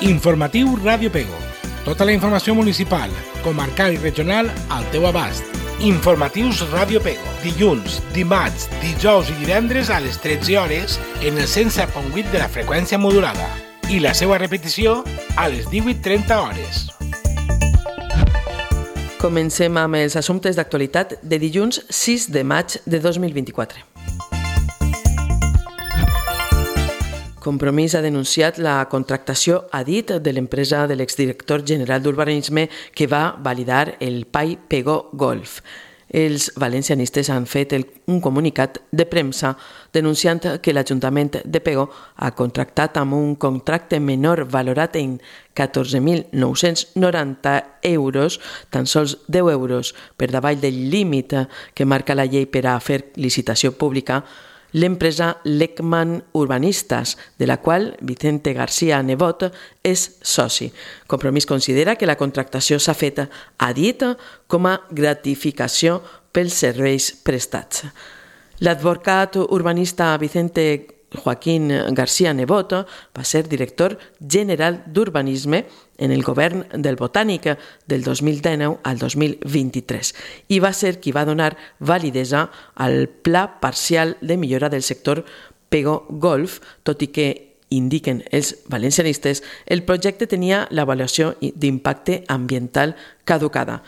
Informatiu Ràdio Pego. Tota la informació municipal, comarcal i regional al teu abast. Informatius Ràdio Pego. Dilluns, dimarts, dijous i divendres a les 13 hores en el 107.8 de la freqüència modulada. I la seva repetició a les 18:30 hores. Comencem amb els assumptes d'actualitat de dilluns 6 de maig de 2024. Compromís ha denunciat la contractació a dit de l'empresa de l'exdirector general d'Urbanisme que va validar el PAI Pego Golf. Els valencianistes han fet un comunicat de premsa denunciant que l'Ajuntament de Pego ha contractat amb un contracte menor valorat en 14.990 euros, tan sols 10 euros per davall del límit que marca la llei per a fer licitació pública, l'empresa Leckman Urbanistas, de la qual Vicente García Nebot és soci. Compromís considera que la contractació s'ha fet a dit com a gratificació pels serveis prestats. L'advocat urbanista Vicente Joaquín García Nebot va ser director general d'Urbanisme en el govern del Botànic del 2019 al 2023 i va ser qui va donar validesa al Pla Parcial de Millora del Sector Pego Golf, tot i que, indiquen els valencianistes, el projecte tenia l'avaluació d'impacte ambiental caducada.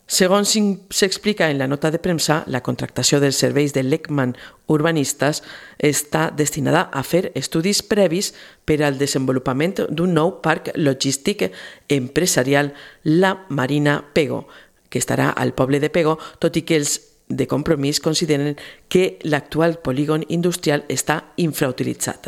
Segons s'explica en la nota de premsa, la contractació dels serveis de Leckman Urbanistas està destinada a fer estudis previs per al desenvolupament d'un nou parc logístic empresarial, la Marina Pego, que estarà al poble de Pego, tot i que els de Compromís consideren que l'actual polígon industrial està infrautilitzat.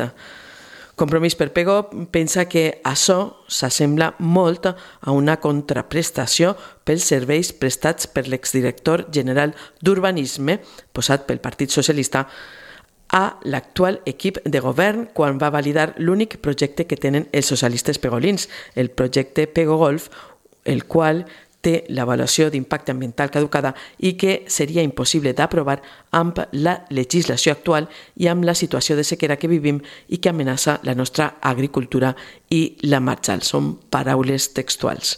Compromís per Pego pensa que això s'assembla molt a una contraprestació pels serveis prestats per l'exdirector general d'Urbanisme, posat pel Partit Socialista, a l'actual equip de govern quan va validar l'únic projecte que tenen els socialistes pegolins, el projecte Pego Golf, el qual té l'avaluació d'impacte ambiental caducada i que seria impossible d'aprovar amb la legislació actual i amb la situació de sequera que vivim i que amenaça la nostra agricultura i la marjal. Són paraules textuals.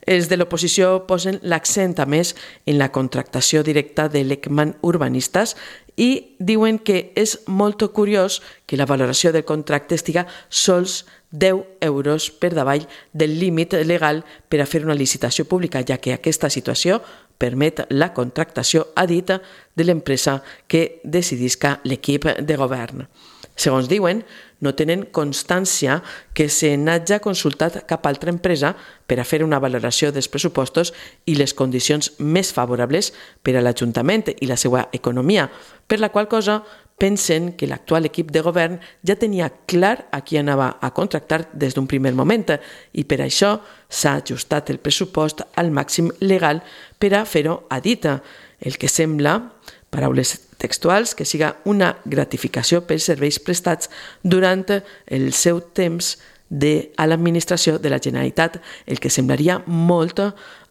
Els de l'oposició posen l'accent a més en la contractació directa de Leckman Urbanistas i diuen que és molt curiós que la valoració del contracte estiga sols 10 euros per davall del límit legal per a fer una licitació pública, ja que aquesta situació permet la contractació a dit de l'empresa que decidisca l'equip de govern. Segons diuen, no tenen constància que se n'hagi consultat cap altra empresa per a fer una valoració dels pressupostos i les condicions més favorables per a l'Ajuntament i la seva economia, per la qual cosa pensen que l'actual equip de govern ja tenia clar a qui anava a contractar des d'un primer moment i per això s'ha ajustat el pressupost al màxim legal per a fer-ho a dit, el que sembla, paraules textuals, que siga una gratificació pels serveis prestats durant el seu temps a l'administració de la Generalitat, el que semblaria molt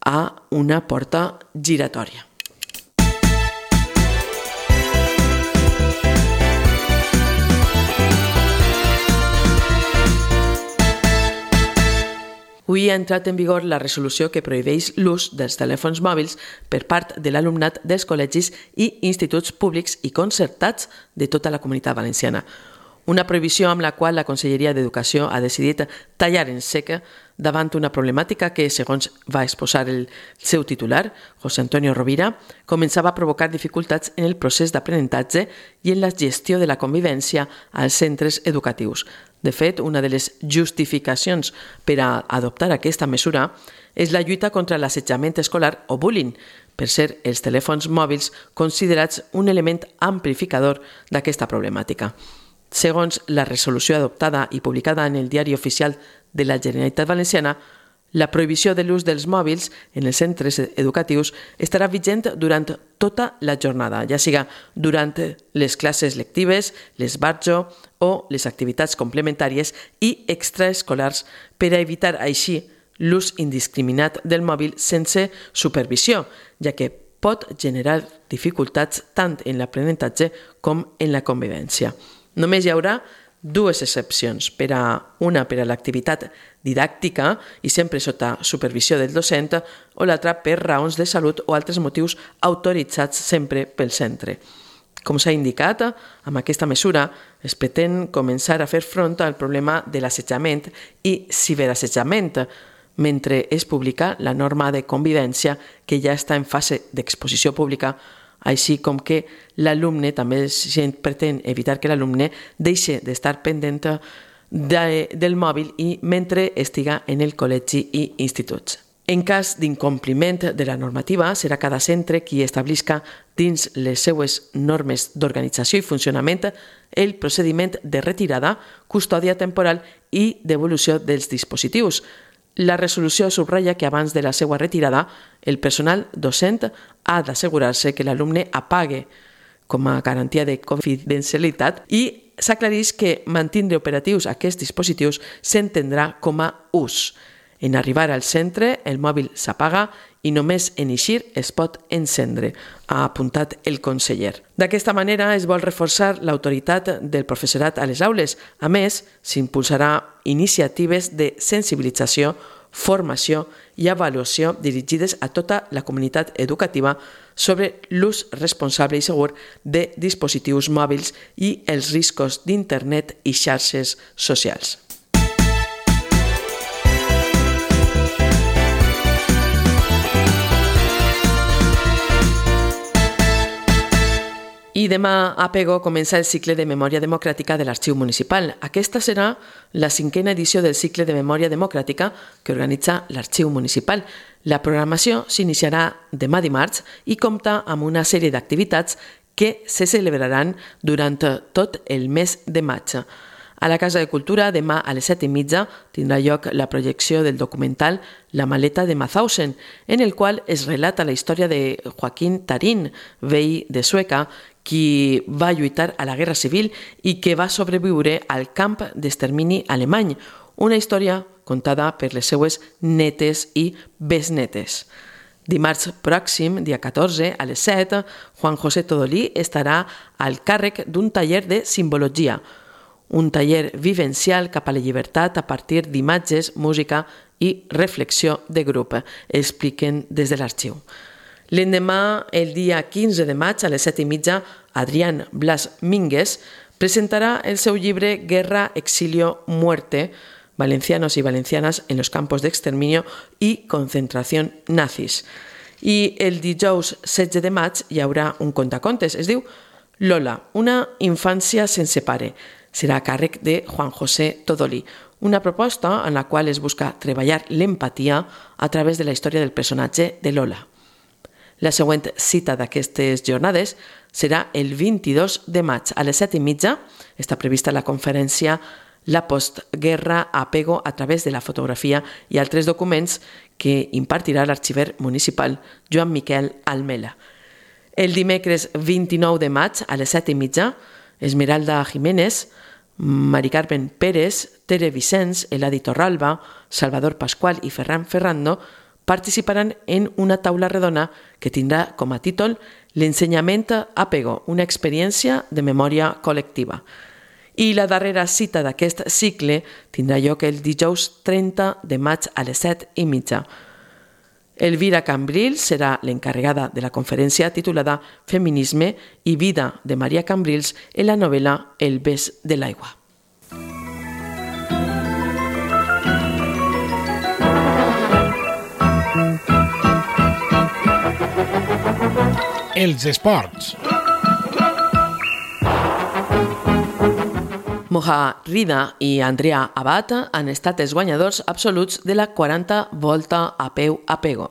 a una porta giratòria. Avui ha entrat en vigor la resolució que prohibeix l'ús dels telèfons mòbils per part de l'alumnat dels col·legis i instituts públics i concertats de tota la Comunitat Valenciana. Una prohibició amb la qual la Conselleria d'Educació ha decidit tallar en sec davant una problemàtica que, segons va exposar el seu titular, José Antonio Rovira, començava a provocar dificultats en el procés d'aprenentatge i en la gestió de la convivència als centres educatius. De fet, una de les justificacions per a adoptar aquesta mesura és la lluita contra l'assetjament escolar o bullying, per ser els telèfons mòbils considerats un element amplificador d'aquesta problemàtica. Segons la resolució adoptada i publicada en el Diari Oficial de la Generalitat Valenciana, la prohibició de l'ús dels mòbils en els centres educatius estarà vigent durant tota la jornada, ja siga durant les classes lectives, l'esbarjo o les activitats complementàries i extraescolars per a evitar així l'ús indiscriminat del mòbil sense supervisió, ja que pot generar dificultats tant en l'aprenentatge com en la convivència. Només hi haurà dues excepcions, una per a l'activitat didàctica i sempre sota supervisió del docent o l'altra per raons de salut o altres motius autoritzats sempre pel centre. Com s'ha indicat, amb aquesta mesura es pretén començar a fer front al problema de l'assetjament i ciberassetjament, mentre es publica la norma de convivència que ja està en fase d'exposició pública, així com que l'alumne, també es pretén evitar que l'alumne deixi d'estar pendent del mòbil i mentre estiga en el col·legi i instituts. En cas d'incompliment de la normativa, serà cada centre qui establisca dins les seues normes d'organització i funcionament el procediment de retirada, custòdia temporal i devolució dels dispositius. La resolució subratlla que abans de la seva retirada, el personal docent ha d'assegurar-se que l'alumne apague com a garantia de confidencialitat i s'aclareix que mantindre operatius aquests dispositius s'entendrà com a ús. En arribar al centre, el mòbil s'apaga i només en eixir es pot encendre, ha apuntat el conseller. D'aquesta manera es vol reforçar l'autoritat del professorat a les aules. A més, s'impulsarà iniciatives de sensibilització, formació i avaluació dirigides a tota la comunitat educativa sobre l'ús responsable i segur de dispositius mòbils i els riscos d'internet i xarxes socials. I demà a Pego comença el cicle de Memòria Democràtica de l'Arxiu Municipal. Aquesta serà la 5a edició del cicle de Memòria Democràtica que organitza l'Arxiu Municipal. La programació s'iniciarà demà dimarts i compta amb una sèrie d'activitats que se celebraran durant tot el mes de maig. A la Casa de Cultura, demà a les 7:30, tindrà lloc la projecció del documental La maleta de Mauthausen, en el qual es relata la història de Joaquín Tarín, veí de Sueca, qui va lluitar a la Guerra Civil i que va sobreviure al camp d'extermini alemany, una història contada per les seues netes i besnetes. Dimarts pròxim, dia 14, a les 7, Juan José Todolí estarà al càrrec d'un taller de simbologia, un taller vivencial cap a la llibertat a partir d'imatges, música i reflexió de grup, expliquen des de l'arxiu. L'endemà, el dia 15 de maig, a les 7:30, Adrián Blas Mínguez presentarà el seu llibre Guerra, Exilio, Muerte, Valencianos y Valencianas en los campos de exterminio y concentración nazis. I el dijous 16 de maig hi haurà un contacontes, es diu Lola, una infància sense pare. Serà a càrrec de Juan José Todolí, una proposta en la qual es busca treballar l'empatia a través de la història del personatge de Lola. La següent cita d'aquestes jornades serà el 22 de maig a les 7:30. Està prevista la conferència La postguerra a Pego a través de la fotografia i altres documents que impartirà l'arxiver municipal Joan Miquel Almela. El dimecres 29 de maig a les 7:30, Esmeralda Jiménez, Mari Carmen Pérez, Tere Vicens, Eladi Torralba, Salvador Pascual i Ferran Ferrando participaran en una taula redona que tindrà com a títol L'ensenyament a Pego, una experiència de memòria col·lectiva. I la darrera cita d'aquest cicle tindrà lloc el dijous 30 de maig a les 7:30. Elvira Cambrils serà l'encarregada de la conferència titulada Feminisme i vida de Maria Cambrils en la novel·la El bes de l'aigua. Els esports. Moja Rida i Andrea Abad han estat els guanyadors absoluts de la 40 Volta a peu a Pego.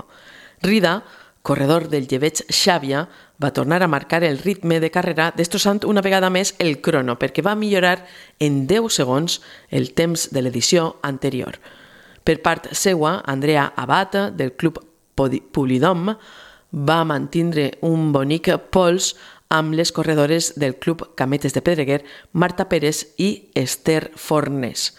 Rida, corredor del llebeig Xàbia, va tornar a marcar el ritme de carrera destrossant una vegada més el crono perquè va millorar en 10 segons el temps de l'edició anterior. Per part seua, Andrea Abad, del club Pulidom, va mantindre un bonic pols amb les corredores del club Cametes de Pedreguer, Marta Pérez i Esther Fornés.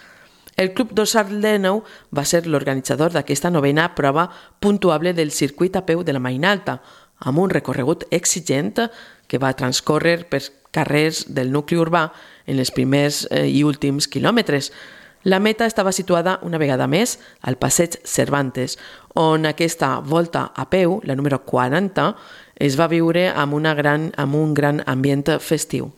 El club Dorsal d'Ènou va ser l'organitzador d'aquesta novena prova puntuable del circuit a peu de la Marina Alta, amb un recorregut exigent que va transcórrer per carrers del nucli urbà en els primers i últims quilòmetres. La meta estava situada una vegada més al passeig Cervantes, on aquesta volta a peu, la número 40, es va viure amb un gran ambient festiu.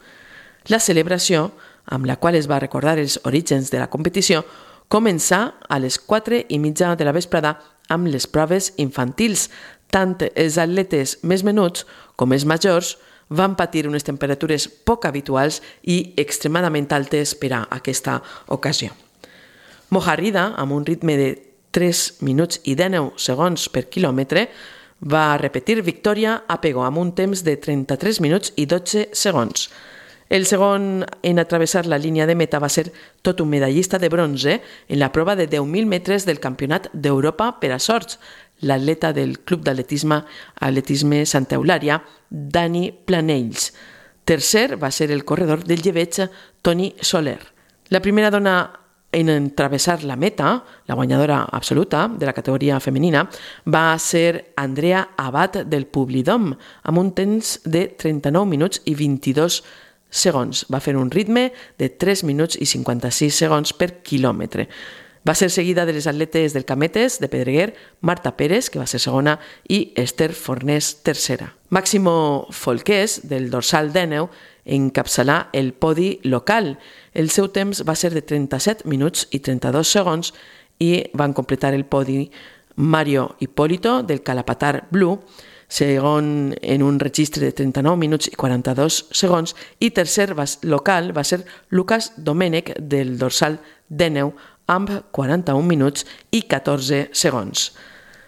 La celebració, amb la qual es va recordar els orígens de la competició, començà a les 4:30 de la vesprada amb les proves infantils. Tant els atletes més menuts com els majors van patir unes temperatures poc habituals i extremadament altes per a aquesta ocasió. Mojarrida, amb un ritme de 3 minuts i 19 segons per quilòmetre, va repetir victòria a Pego amb un temps de 33 minuts i 12 segons. El segon en atravessar la línia de meta va ser tot un medallista de bronze en la prova de 10.000 metres del Campionat d'Europa per a sorts, l'atleta del Club d'Atletisme Santa Eulària, Dani Planells. Tercer va ser el corredor del llebeig Toni Soler. La primera dona en travessar la meta, la guanyadora absoluta de la categoria femenina, va ser Andrea Abad del Publidom, amb un temps de 39 minuts i 22 segons. Va fer un ritme de 3 minuts i 56 segons per quilòmetre. Va ser seguida de les atletes del Cametes, de Pedreguer, Marta Pérez, que va ser segona, i Esther Fornés, tercera. Máximo Folqués, del dorsal d'Èneu, encapçalà el podi local. El seu temps va ser de 37 minuts i 32 segons i van completar el podi Mario Hipólito, del Calapatar Blue, segon en un registre de 39 minuts i 42 segons, i tercer local va ser Lucas Domènech, del dorsal d'Èneu, amb 41 minuts i 14 segons.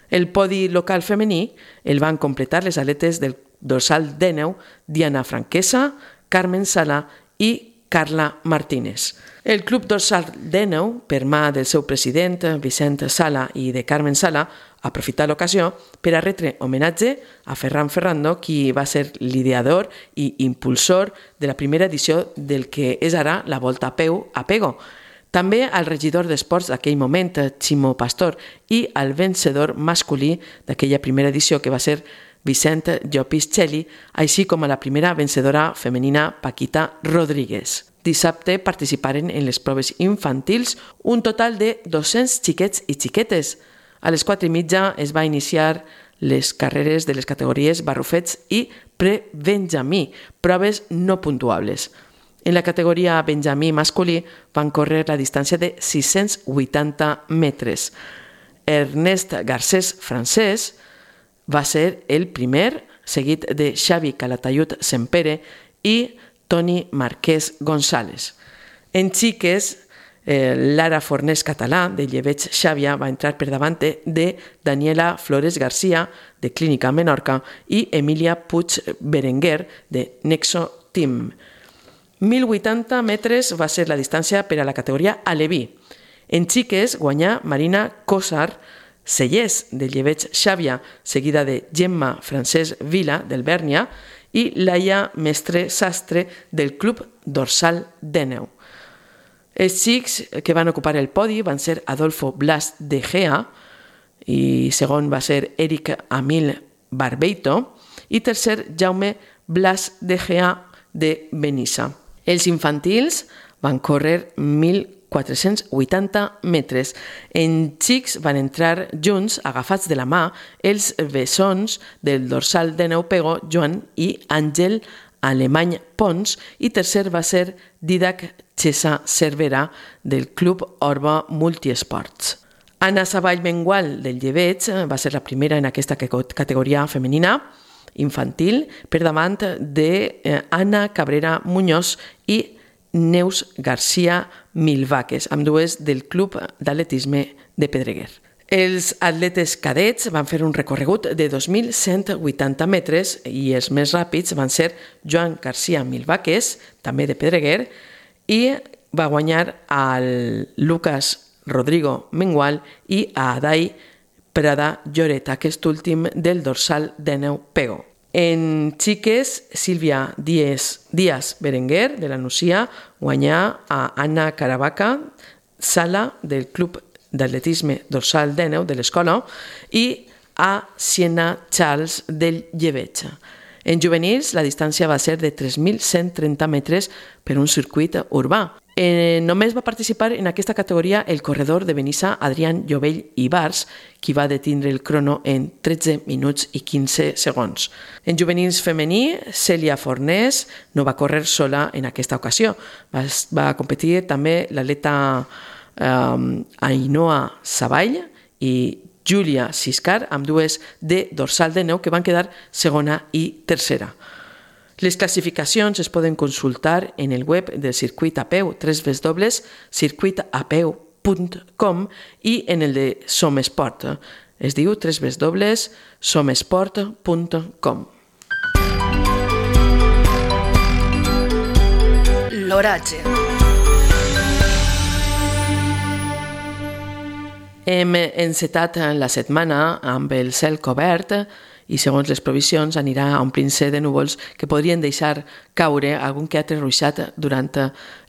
El podi local femení el van completar les atletes del dorsal d'Èneu, Diana Franquesa, Carmen Sala i Carla Martínez. El Club Dorsal d'Èneu, per mà del seu president, Vicent Sala, i de Carmen Sala, aprofità l'ocasió per a retre homenatge a Ferran Ferrando, qui va ser l'ideador i impulsor de la primera edició del que és ara la Volta a peu a Pego. També al regidor d'esports d'aquell moment, Ximo Pastor, i al vencedor masculí d'aquella primera edició, que va ser Vicent Llopis Txeli, així com a la primera vencedora femenina, Paquita Rodríguez. Dissabte participaren en les proves infantils un total de 200 xiquets i xiquetes. A les 4:30 es va iniciar les carreres de les categories barrufets i pre-benjamí, proves no puntuables. En la categoria benjamí masculí van córrer la distància de 680 metres. Ernest Garcés Francès va ser el primer, seguit de Xavi Calatayud Sempere i Toni Marquès González. En xiques, Lara Fornés Català, de Llebeig Xàbia, va entrar per davant de Daniela Flores García, de Clínica Menorca, i Emilia Puig Berenguer, de Nexo Team. 1.080 metres va ser la distància per a la categoria aleví. En xiques guanyà Marina Cosar Sellers, de Llebeig Xàbia, seguida de Gemma Francesc Vila, del Bèrnia, i Laia Mestre Sastre, del Club Dorsal d'Èneu. Els xics que van ocupar el podi van ser Adolfo Blas de Gea, i segon va ser Eric Amil Barbeito, i tercer Jaume Blas de Gea, de Benissa. Els infantils van córrer 1.480 metres. En xics van entrar junts, agafats de la mà, els bessons del dorsal d'Èneu Pego, Joan i Àngel Alemany Pons, i tercer va ser Didac Xesa Cervera, del Club Orba Multiesports. Anna Savall Mengual, del Llebeig, va ser la primera en aquesta categoria femenina infantil, per davant d'Anna Cabrera Muñoz i Neus García Milvaques, ambdues del Club d'Atletisme de Pedreguer. Els atletes cadets van fer un recorregut de 2.180 metres i els més ràpids van ser Joan García Milvaques, també de Pedreguer, i va guanyar al Lucas Rodrigo Mengual i a Adai Prada Lloret, aquest últim del dorsal d'Èneu Pego. En xiques, Sílvia Díaz Berenguer, de la Nucia, guanyà a Anna Caravaca Sala, del Club d'Atletisme Dorsal d'Èneu, de l'Escola, i a Siena Charles, del Llebeig. En juvenils, la distància va ser de 3.130 metres per un circuit urbà. Només va participar en aquesta categoria el corredor de Benissa Adrián Llovell Ibars, qui va detindre el crono en 13 minuts i 15 segons. En juvenils femení, Cèlia Fornés no va córrer sola en aquesta ocasió. Va competir també l'atleta Ainhoa Savall i Júlia Siscar, amb dues de dorsal de neu que van quedar segona i tercera. Les classificacions es poden consultar en el web del Circuit a Peu, www.circuitapeu.com, i en el de Somesport. Es diu www.somesport.com. L'oratge. Hem encetat la setmana amb el cel cobert i, segons les provisions, anirà omplint-se de núvols que podrien deixar caure algun que altre ruixat durant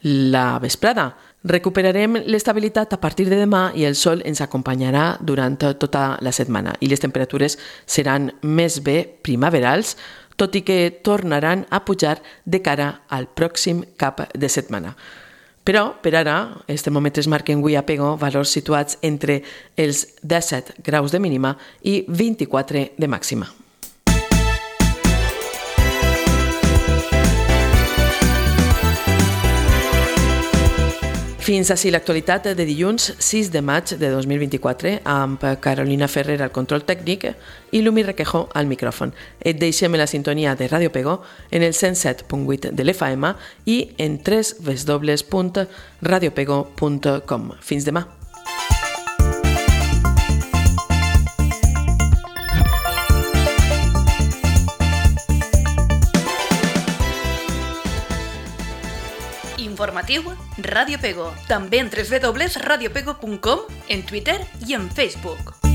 la vesprada. Recuperarem l'estabilitat a partir de demà i el sol ens acompanyarà durant tota la setmana i les temperatures seran més bé primaverals, tot i que tornaran a pujar de cara al pròxim cap de setmana. Però, per ara, els termòmetres marquen avui a Pego valors situats entre els 17 graus de mínima i 24 de màxima. Fins ací l'actualitat de dilluns 6 de maig de 2024 amb Carolina Ferrer al control tècnic i Lumi Requejo al micròfon. Et deixem la sintonia de Ràdio Pego en el 107.8 de l'FM i en www.radiopego.com. Fins demà. Informatiu Ràdio Pego. També en www.radiopego.com, en Twitter i en Facebook.